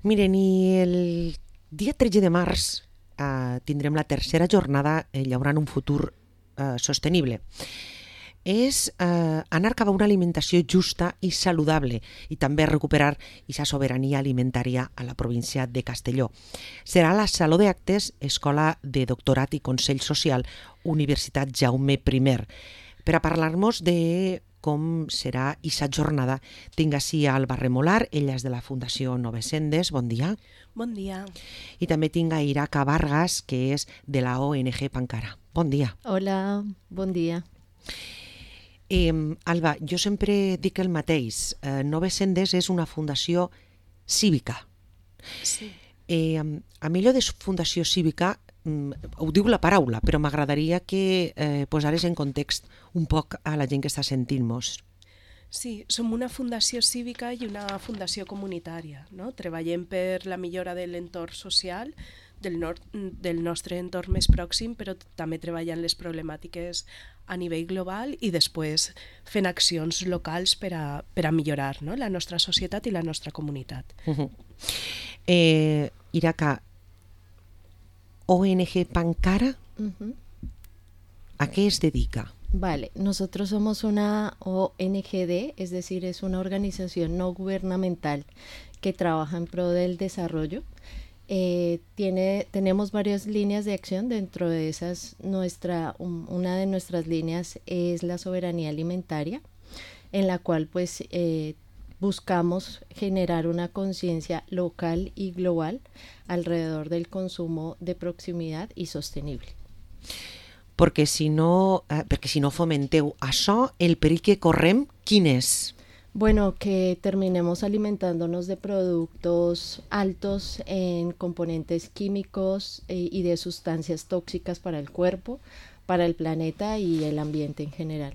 Miren, i el dia 13 de març tindrem la tercera jornada Llaurant un futur sostenible. És anar cap a una alimentació justa i saludable i també recuperar aquesta sobirania alimentària a la província de Castelló. Serà a la Saló d'Actes, Escola de Doctorat i Consell Social, Universitat Jaume I. Per a parlar-nos de com serà aquesta jornada, tinc ací a Alba Remolar, ella és de la Fundació Nove Sendes, bon dia. Bon dia. I també tinc a Iraca Vargas, que és de la ONG Pankara. Bon dia. Hola, bon dia. Alba, jo sempre dic el mateix. Nove Sendes és una fundació cívica. Sí. A mi allò de fundació cívica ho diu la paraula, però m'agradaria que posares en context un poc a la gent que està sentint-nos. Sí, som una fundació cívica i una fundació comunitària, no? Treballem per la millora de l'entorn social, del nostre entorn més pròxim, però també treballant les problemàtiques a nivell global i després fent accions locals per a millorar, no? La nostra societat i la nostra comunitat. Iraca, ONG Pankara, ¿a qué se dedica? Vale, nosotros somos una ONGD, es decir, es una organización no gubernamental que trabaja en pro del desarrollo. Tenemos varias líneas de acción, dentro de esas una de nuestras líneas es la soberanía alimentaria, en la cual pues buscamos generar una conciencia local y global alrededor del consumo de proximitat i sostenible. Perquè si no fomenteu això, el perill que correm, quin és? Bueno, que terminemos alimentándonos de productos altos en componentes químicos y de sustancias tóxicas para el cuerpo, para el planeta y el ambiente en general.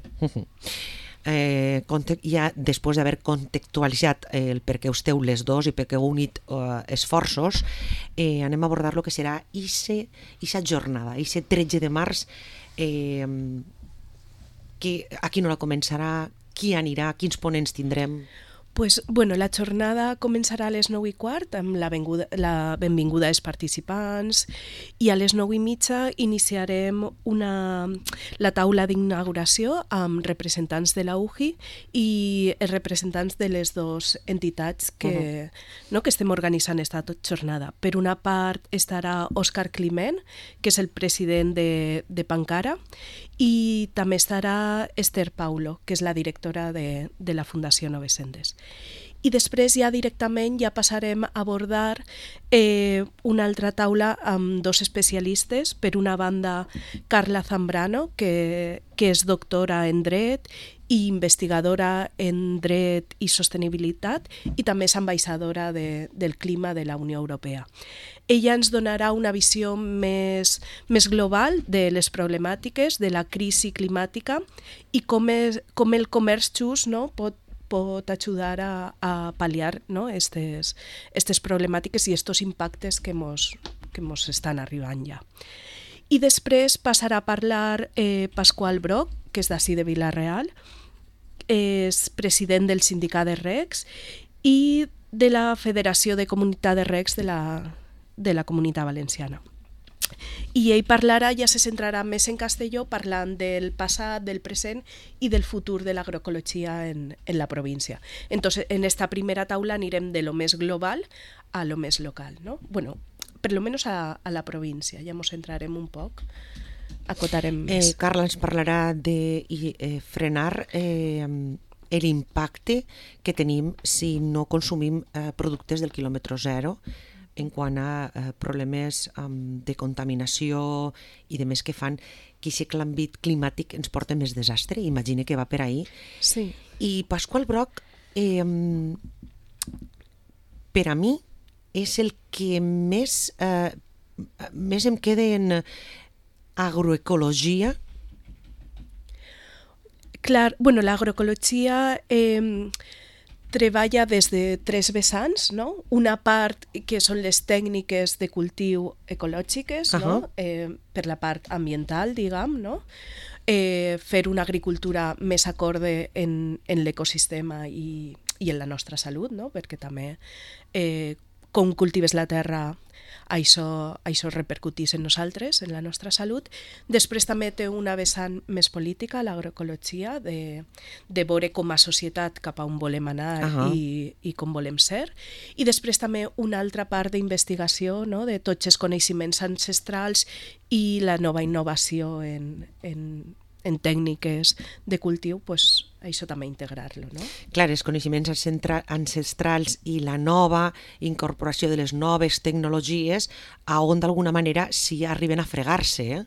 Ja després d'haver contextualitzat el per què esteu les dos i per què heu unit esforços, anem a abordar el que serà aquesta jornada, aquest 13 de març, a quina hora començarà, qui anirà, quins ponents tindrem? Pues, bueno, la jornada començarà a les 9:15 amb la benvinguda als participants i a les 9:30 iniciarem la taula d'inauguració amb representants de la UGI i els representants de les dues entitats que estem organitzant aquesta jornada. Per una part estarà Òscar Climent, que és el president de Pankara, i també estarà Esther Paulo, que és la directora de la Fundació Nove Sendes. I després ja directament passarem a abordar una altra taula amb dos especialistes. Per una banda, Carla Zambrano, que és doctora en dret i investigadora en dret i sostenibilitat i també és ambaixadora del clima de la Unió Europea. Ella ens donarà una visió més global de les problemàtiques de la crisi climàtica i com el comerç just pot ajudar a pal·liar aquestes problemàtiques i aquests impactes que mos estan arribant ja. I després passarà a parlar Pasqual Broc, que és d'ací de Vila-real, és president del sindicat de recs i de la Federació de Comunitat de Recs de la Comunitat Valenciana. I ell parlarà, ja se centrarà més en Castelló, parlant del passat, del present i del futur de l'agroecologia en la província. Entonces, en esta primera taula anirem de lo més global a lo més local, ¿no? Bueno, per lo menos a la província, ja ens centrarem un poc, acotarem més. Carla ens parlarà de frenar l'impacte que tenim si no consumim productes del quilòmetre zero, en quant a problemes de contaminació i de més que fan que aquest canvi climàtic ens porta més desastre. Imagina que va per ahí. Sí. I Pasqual Broc, per a mi, és el que més em queda en agroecologia. Clar, bueno, l'agroecologia treballa des de tres vessants, no? Una part que són les tècniques de cultiu ecològiques, no? Per la part ambiental, diguem, no? Fer una agricultura més acorde en l'ecosistema i en la nostra salut, no? Perquè també com cultives la terra, això repercutís en nosaltres, en la nostra salut. Després també té una vessant més política, l'agroecologia, de veure com a societat cap a on volem anar i com volem ser. I després també una altra part d'investigació, no?, de tots els coneixements ancestrals i la nova innovació en tècniques de cultiu, pues, això també integrar-lo, no? Clar, els coneixements ancestrals i la nova incorporació de les noves tecnologies a on d'alguna manera sí arriben a fregar-se.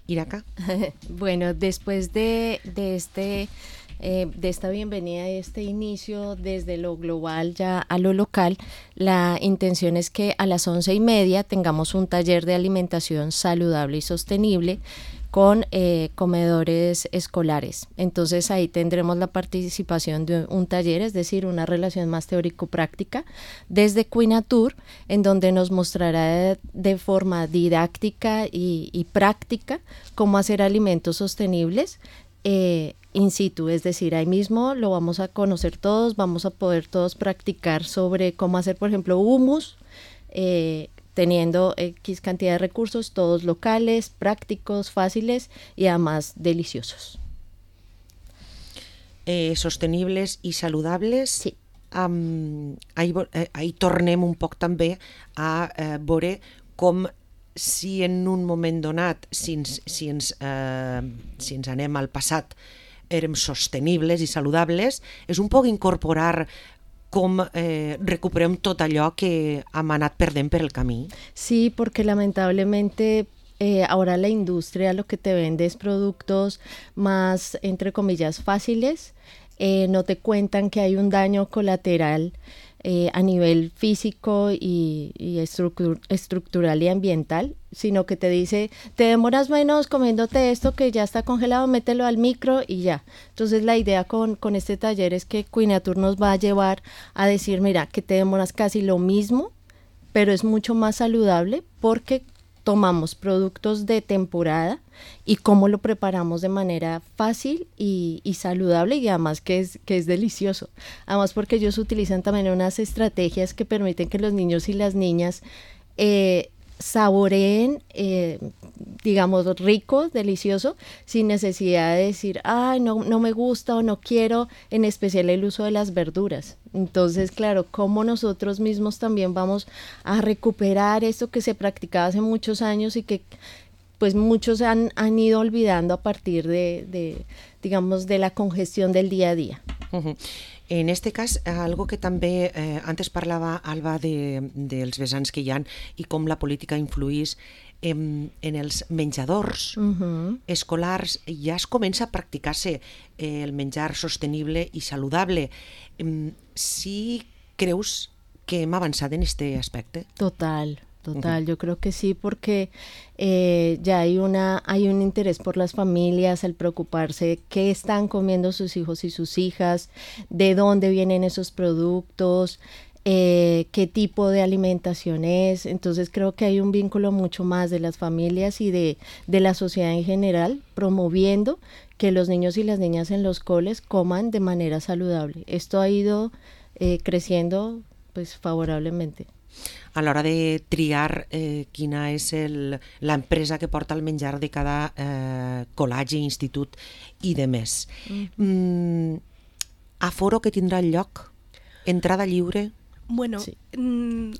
Iraca. Bueno, después de esta bienvenida y este inicio desde lo global ya a lo local, la intención es que a las 11:30 tengamos un taller de alimentación saludable y sostenible con comedores escolares. Entonces ahí tendremos la participación de un taller, es decir, una relación más teórico-práctica desde Quinatur, en donde nos mostrará de forma didáctica y práctica cómo hacer alimentos sostenibles in situ, es decir, ahí mismo lo vamos a conocer todos, vamos a poder todos practicar sobre cómo hacer, por ejemplo, hummus, teniendo X cantidad de recursos, todos locales, prácticos, fáciles y además deliciosos. Sostenibles i saludables. Sí. Ahí tornem un poc també a veure com si en un moment donat, si ens anem al passat, érem sostenibles i saludables, és un poc incorporar com recuperem tot allò que hem anat perdent per el camí. Sí, porque lamentablemente ahora la industria lo que te vende es productos más, entre comillas, fáciles. No te cuentan que hay un daño colateral a nivel físico y estructural y ambiental, sino que te dice, te demoras menos comiéndote esto que ya está congelado, mételo al micro y ya. Entonces la idea con este taller es que Quinatur nos va a llevar a decir, mira, que te demoras casi lo mismo, pero es mucho más saludable porque tomamos productos de temporada y cómo lo preparamos de manera fácil y saludable y además que es delicioso. Además porque ellos utilizan también unas estrategias que permiten que los niños y las niñas saboreen, digamos, rico, delicioso, sin necesidad de decir, ay, no me gusta o no quiero, en especial el uso de las verduras. Entonces, claro, cómo nosotros mismos también vamos a recuperar esto que se practicaba hace muchos años y que pues muchos han ido olvidando a partir digamos, de la congestión del día a día. Uh-huh. En este cas, algo que també antes parlava Alba dels vessants que hi ha i com la política influís en els menjadors escolars, ja es comença a practicar-se el menjar sostenible i saludable. ¿Sí creus que hem avançat en este aspecte? Total, yo creo que sí, porque ya hay un interés por las familias, el preocuparse qué están comiendo sus hijos y sus hijas, de dónde vienen esos productos, qué tipo de alimentación es. Entonces creo que hay un vínculo mucho más de las familias y de la sociedad en general, promoviendo que los niños y las niñas en los coles coman de manera saludable. Esto ha ido creciendo pues favorablemente. A l'hora de triar quina és l'empresa que porta el menjar de cada col·legi, institut i de més. Aforo que tindrà lloc? Entrada lliure? Bueno, sí.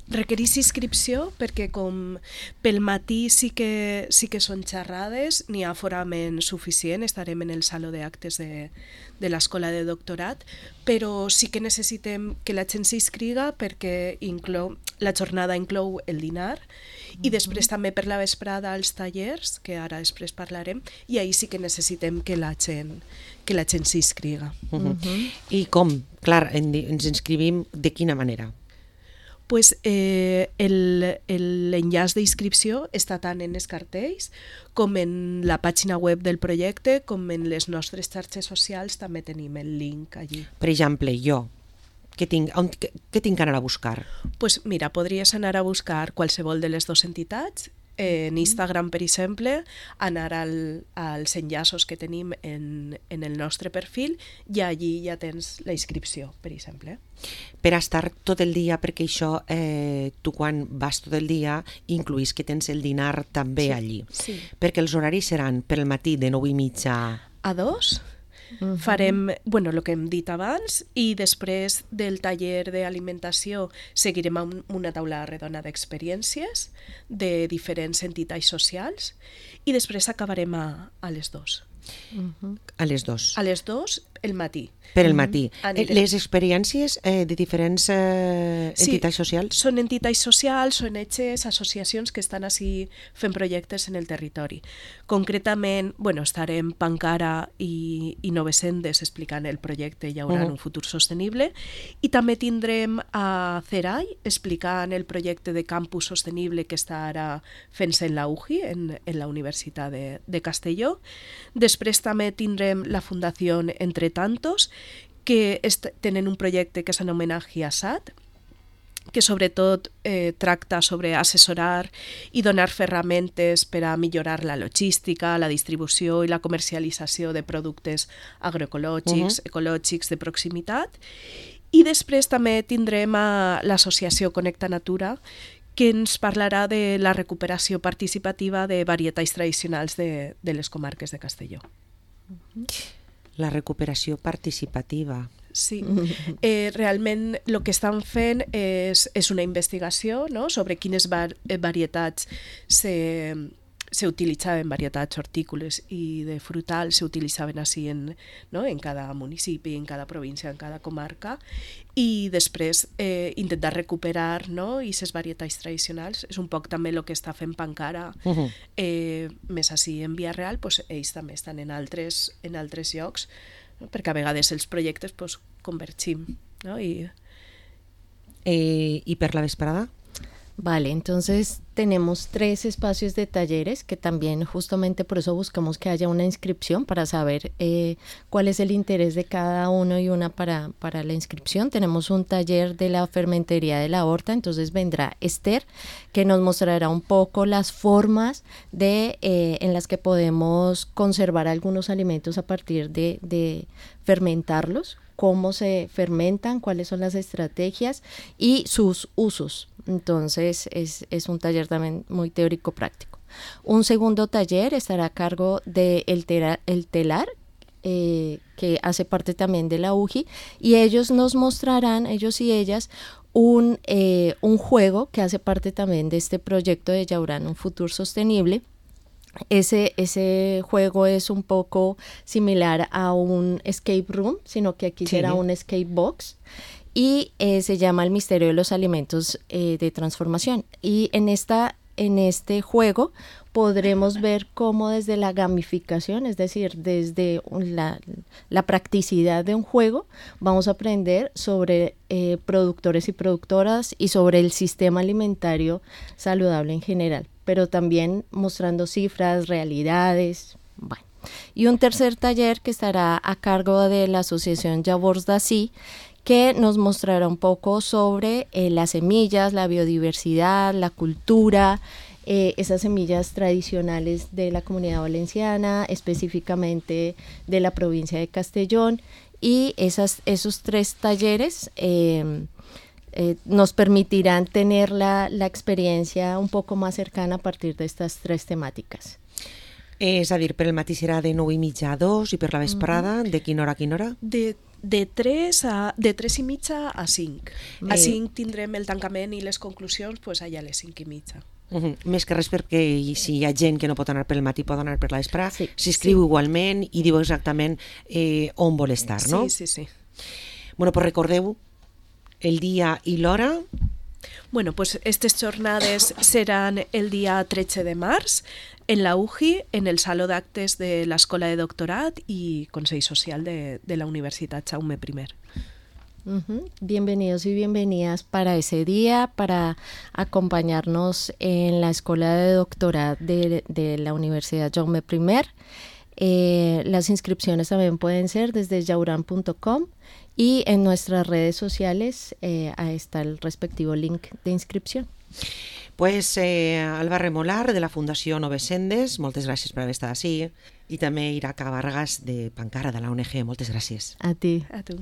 Requerís inscripció perquè com pel matí sí que són xerrades, n'hi ha aforament suficient, estarem en el saló d'actes de l'escola de doctorat, però sí que necessitem que la gent s'inscriga perquè la jornada inclou el dinar i després també per la vesprada els tallers, que ara després parlarem, i ahir sí que necessitem que la gent s'inscriga. I com? Clar, ens inscrivim de quina manera? Pues l'enllaç d'inscripció està tant en els cartells com en la pàgina web del projecte, com en les nostres xarxes socials també tenim el link allí. Per exemple, jo, què tinc que anar a buscar? Pues mira, podries anar a buscar qualsevol de les dues entitats En Instagram, per exemple, anar als enllaços que tenim en el nostre perfil i allí ja tens la inscripció, per exemple. Per estar tot el dia, perquè això, tu quan vas tot el dia incluís que tens el dinar també allí. Sí. Perquè els horaris seran per el matí de 9:30 a 2. Farem, el que hem dit abans, i després del taller d'alimentació seguirem amb una taula redona d'experiències de diferents entitats socials i després acabarem a les 2. A les 2. A les 2 el matí. Per el matí. Les experiències de diferents entitats socials? Són entitats socials, ONGs, associacions que estan així fent projectes en el territori. Concretament, estarem Pancara i Novesendes explicant el projecte Hi haurà un futur sostenible, i també tindrem a Cerai explicant el projecte de campus sostenible que està ara fent-se en la UJI, en la Universitat de Castelló. Després també tindrem la Fundació Entre Tantos, que tenen un projecte que s'anomena GIASAT, que sobretot tracta sobre assessorar i donar ferramentes per a millorar la logística, la distribució i la comercialització de productes agroecològics, ecològics de proximitat. I després també tindrem a l'associació Connecta Natura, que ens parlarà de la recuperació participativa de varietats tradicionals de les comarques de Castelló. La recuperació participativa. Sí, realment el que estan fent és una investigació, no?, sobre quines varietats s'utilitzaven, varietats hortícoles i de frutals s'utilitzaven així en cada municipi, en cada província, en cada comarca, i després intentar recuperar aquestes varietats tradicionals. És un poc també el que està fent Pancara, més així en Via Real, ells també estan en altres llocs, perquè a vegades els projectes convergim. ¿Y per la vesprada? Vale, entonces tenemos 3 espacios de talleres que también justamente por eso buscamos que haya una inscripción para saber cuál es el interés de cada uno y una para la inscripción. Tenemos un taller de la fermentería de la horta, entonces vendrá Esther, que nos mostrará un poco las formas en las que podemos conservar algunos alimentos a partir de fermentarlos, cómo se fermentan, cuáles son las estrategias y sus usos. Entonces es un taller también muy teórico-práctico. Un segundo taller estará a cargo de El Telar, que hace parte también de la UJI, y ellos nos mostrarán, ellos y ellas, un juego que hace parte también de este proyecto de Yaurán, un futuro sostenible. Ese juego es un poco similar a un escape room, sino que aquí será un escape box, y se llama El misterio de los alimentos de transformación. Y en este juego podremos ver cómo desde la gamificación, es decir, desde la practicidad de un juego, vamos a aprender sobre productores y productoras y sobre el sistema alimentario saludable en general, pero también mostrando cifras, realidades. Bueno. Y un tercer taller que estará a cargo de la asociación Llavors d'Ací, que nos mostrará un poco sobre las semillas, la biodiversidad, la cultura, esas semillas tradicionales de la Comunidad Valenciana, específicamente de la provincia de Castellón, y esos 3 talleres nos permitirán tener la experiencia un poco más cercana a partir de estas 3 temáticas. És a dir, per el matí serà de 9:30 a 2 i per la vesprada de quina hora a quina hora? De 3:30 a 5. A 5 tindrem el tancament i les conclusions allà a les 5:30. Més que res perquè si hi ha gent que no pot anar per el matí pot anar per la vesprada, s'inscriu igualment i diu exactament on vol estar, no? Sí. Bueno, pues recordeu el dia i l'hora. Bueno, pues estas jornades serán el día 13 de març en la UJI, en el Saló d'Actes de l'Escola de Doctorat y Consell Social de la Universitat Jaume I. Bienvenidos y bienvenidas para ese día, para acompañarnos en la Escuela de Doctorat de la Universidad Jaume I. Las inscripciones también pueden ser desde yauran.com y en nuestras redes sociales ahí está el respectivo link de inscripción. Pues Alba Remolar, de la Fundació Noves Sendes, moltes gràcies per haver estat ací. I també Iraca Vargas, de Pancara, de la ONG, moltes gràcies. A ti. A tu.